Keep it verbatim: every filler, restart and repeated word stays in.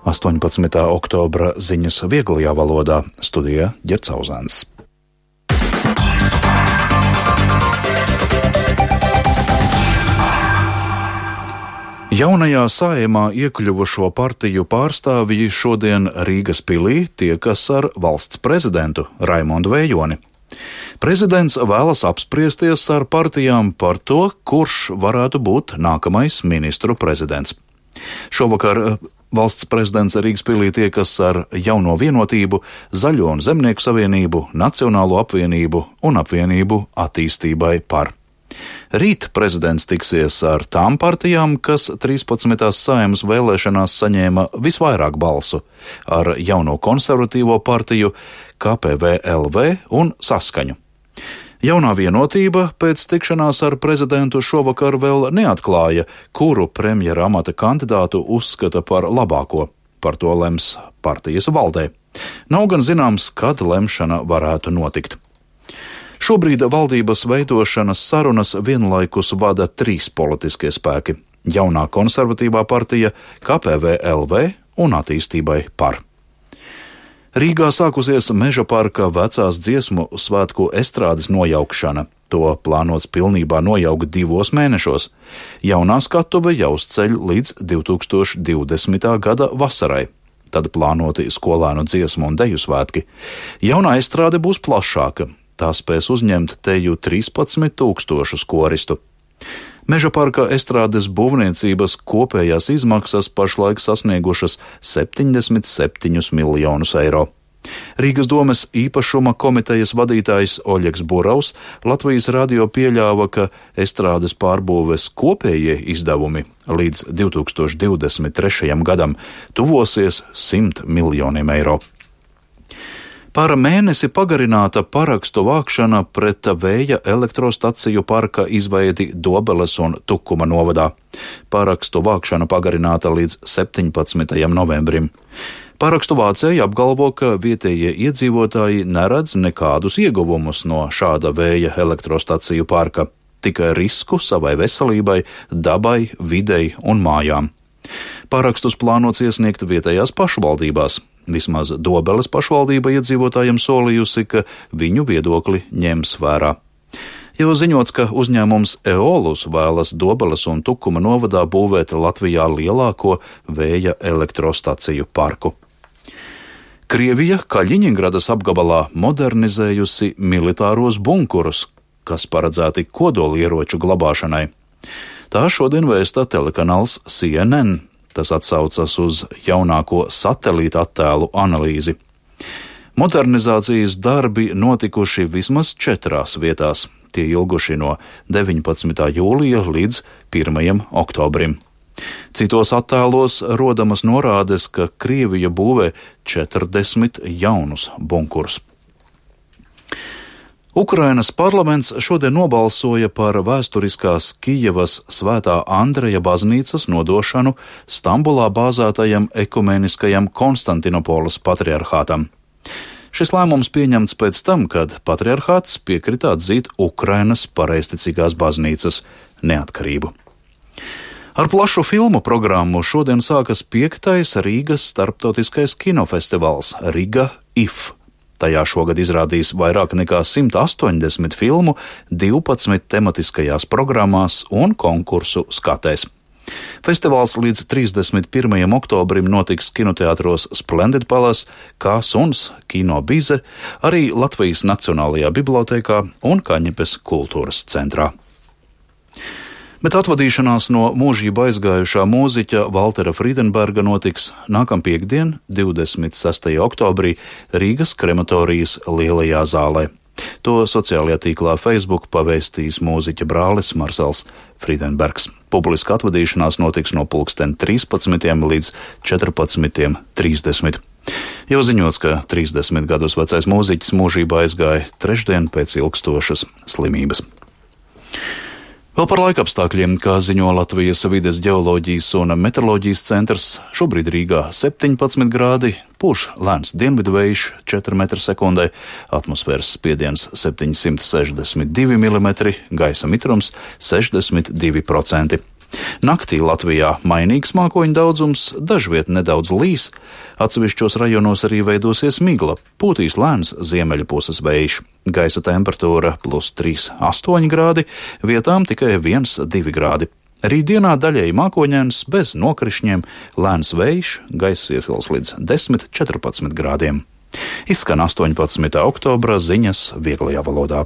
astoņpadsmitā oktobra ziņas vieglajā valodā, studijā Ģerts Auzēns. Jaunajā Saeimā iekļuvušo partiju pārstāvji šodien Rīgas pilī tiekas ar valsts prezidentu Raimondu Vējoni. Prezidents vēlas apspriesties ar partijām par to, kurš varētu būt nākamais ministru prezidents. Šovakar valsts prezidents Rīgas pilī tiekas ar Jauno Vienotību, Zaļo un Zemnieku savienību, Nacionālo apvienību un apvienību attīstībai par. Rīt prezidents tiksies ar tām partijām, kas trīspadsmitās Saeimas vēlēšanās saņēma visvairāk balsu, ar Jauno konservatīvo partiju, K P V L V un Saskaņu. Jaunā Vienotība pēc tikšanās ar prezidentu šovakar vēl neatklāja, kuru premjera amata kandidātu uzskata par labāko. Par to lems partijas valdē. Nav gan zināms, kad lemšana varētu notikt. Šobrīd valdības veidošanas sarunas vienlaikus vada trīs politiskie spēki – Jaunā konservatīvā partija, K P V L V un attīstībai par. Rīgā sākusies Meža parka vecās dziesmu svētku estrādes nojaukšana. To plānots pilnībā nojaukt divos mēnešos. Jaunā skatuve jāuzceļ līdz divi tūkstoši divdesmitā gada vasarai. Tad plānoti skolēnu dziesmu un deju svētki. Jaunā estrāde būs plašāka. Tā spēs uzņemt teju trīspadsmit tūkstošus koristu. Meža parka estrādes būvniecības kopējās izmaksas pašlaik sasniegušas septiņdesmit septiņus miljonus eiro. Rīgas domes īpašuma komitejas vadītājs Oļegs Buraus Latvijas radio pieļāva, ka estrādes pārbūves kopējie izdevumi līdz divi tūkstoši divdesmit trešajam gadam tuvosies simt miljoniem eiro. Par mēnesi pagarināta parakstu vākšana pret vēja elektrostaciju parka izveidi Dobeles un Tukuma novadā. Parakstu vākšana pagarināta līdz septiņpadsmitajam novembrim. Parakstu vācēji apgalvo, ka vietējie iedzīvotāji neredz nekādus ieguvumus no šāda vēja elektrostaciju parka, tikai risku savai veselībai, dabai, videi un mājām. Parakstus plānots iesniegt vietējās pašvaldībās. Vismaz Dobeles pašvaldība iedzīvotājiem solījusi, ka viņu viedokli ņems vērā. Jau ziņots, ka uzņēmums Eolus vēlas Dobeles un Tukuma novadā būvēt Latvijā lielāko vēja elektrostaciju parku. Krievija Kaļiņingradas apgabalā modernizējusi militāros bunkurus, kas paredzēti kodolieroču glabāšanai. Tā šodien vēsta telekanāls C N N. Tas atsaucas uz jaunāko satelīta attēlu analīzi. Modernizācijas darbi notikuši vismaz četrās vietās. Tie ilguši no deviņpadsmitā jūlija līdz pirmajam oktobrim. Citos attēlos rodamas norādes, ka Krievija būvē četrdesmit jaunus bunkurus. Ukrainas parlaments šodien nobalsoja par vēsturiskās Kijevas Svētā Andreja baznīcas nodošanu Stambulā bāzētajam ekumeniskajam Konstantinopoles patriarhātam. Šis lēmums pieņemts pēc tam, kad patriarhāts piekrita atzīt Ukrainas pareizticīgās baznīcas neatkarību. Ar plašu filmu programmu šodien sākas piektais Rīgas starptautiskais kinofestivāls Riga I F. Tajā šogad izrādīs vairāk nekā simt astoņdesmit filmu, divpadsmit tematiskajās programmās un konkursu skatēs. Festivāls līdz trīsdesmit pirmajam oktobrim notiks kinoteātros Splendid Palace, Kā Suns, Kino Bize, arī Latvijas Nacionālajā bibliotēkā un Kaņepes kultūras centrā. Bet atvadīšanās no mūžību aizgājušā mūziķa Valtera Frīdenberga notiks nākam piekdien, divdesmit sestajā oktobrī, Rīgas krematorijas lielajā zālē. To sociālajā tīklā Facebook pavēstīs mūziķa brālis Marsels Frīdenbergs. Publiska atvadīšanās notiks no pulksten trīspadsmitiem līdz četrpadsmitiem trīsdesmit. Jau ziņots, ka trīsdesmit gadus vecais mūziķis mūžībā aizgāja trešdien pēc ilgstošas slimības. Vēl par laikapstākļiem, kā ziņo Latvijas vides ģeoloģijas un meteoroloģijas centrs, šobrīd Rīgā septiņpadsmit grādi, pūš lēns dienvidu vējš četri metri sekundē, atmosfēras spiediens septiņsimt sešdesmit divi milimetri, gaisa mitrums sešdesmit divi procenti. Naktī Latvijā mainīgs mākoņu daudzums, dažviet nedaudz līs, atsevišķos rajonos arī veidosies migla, pūtīs lēns ziemeļu puses vējš. Gaisa temperatūra plus trīs astoņi grādi, vietām tikai viens divi grādi. Rītdienā daļēji mākoņains, bez nokrišņiem, lēns vējš, gaiss iesils līdz desmit četrpadsmit grādiem. Izskan astoņpadsmitā oktobra ziņas vieglajā valodā.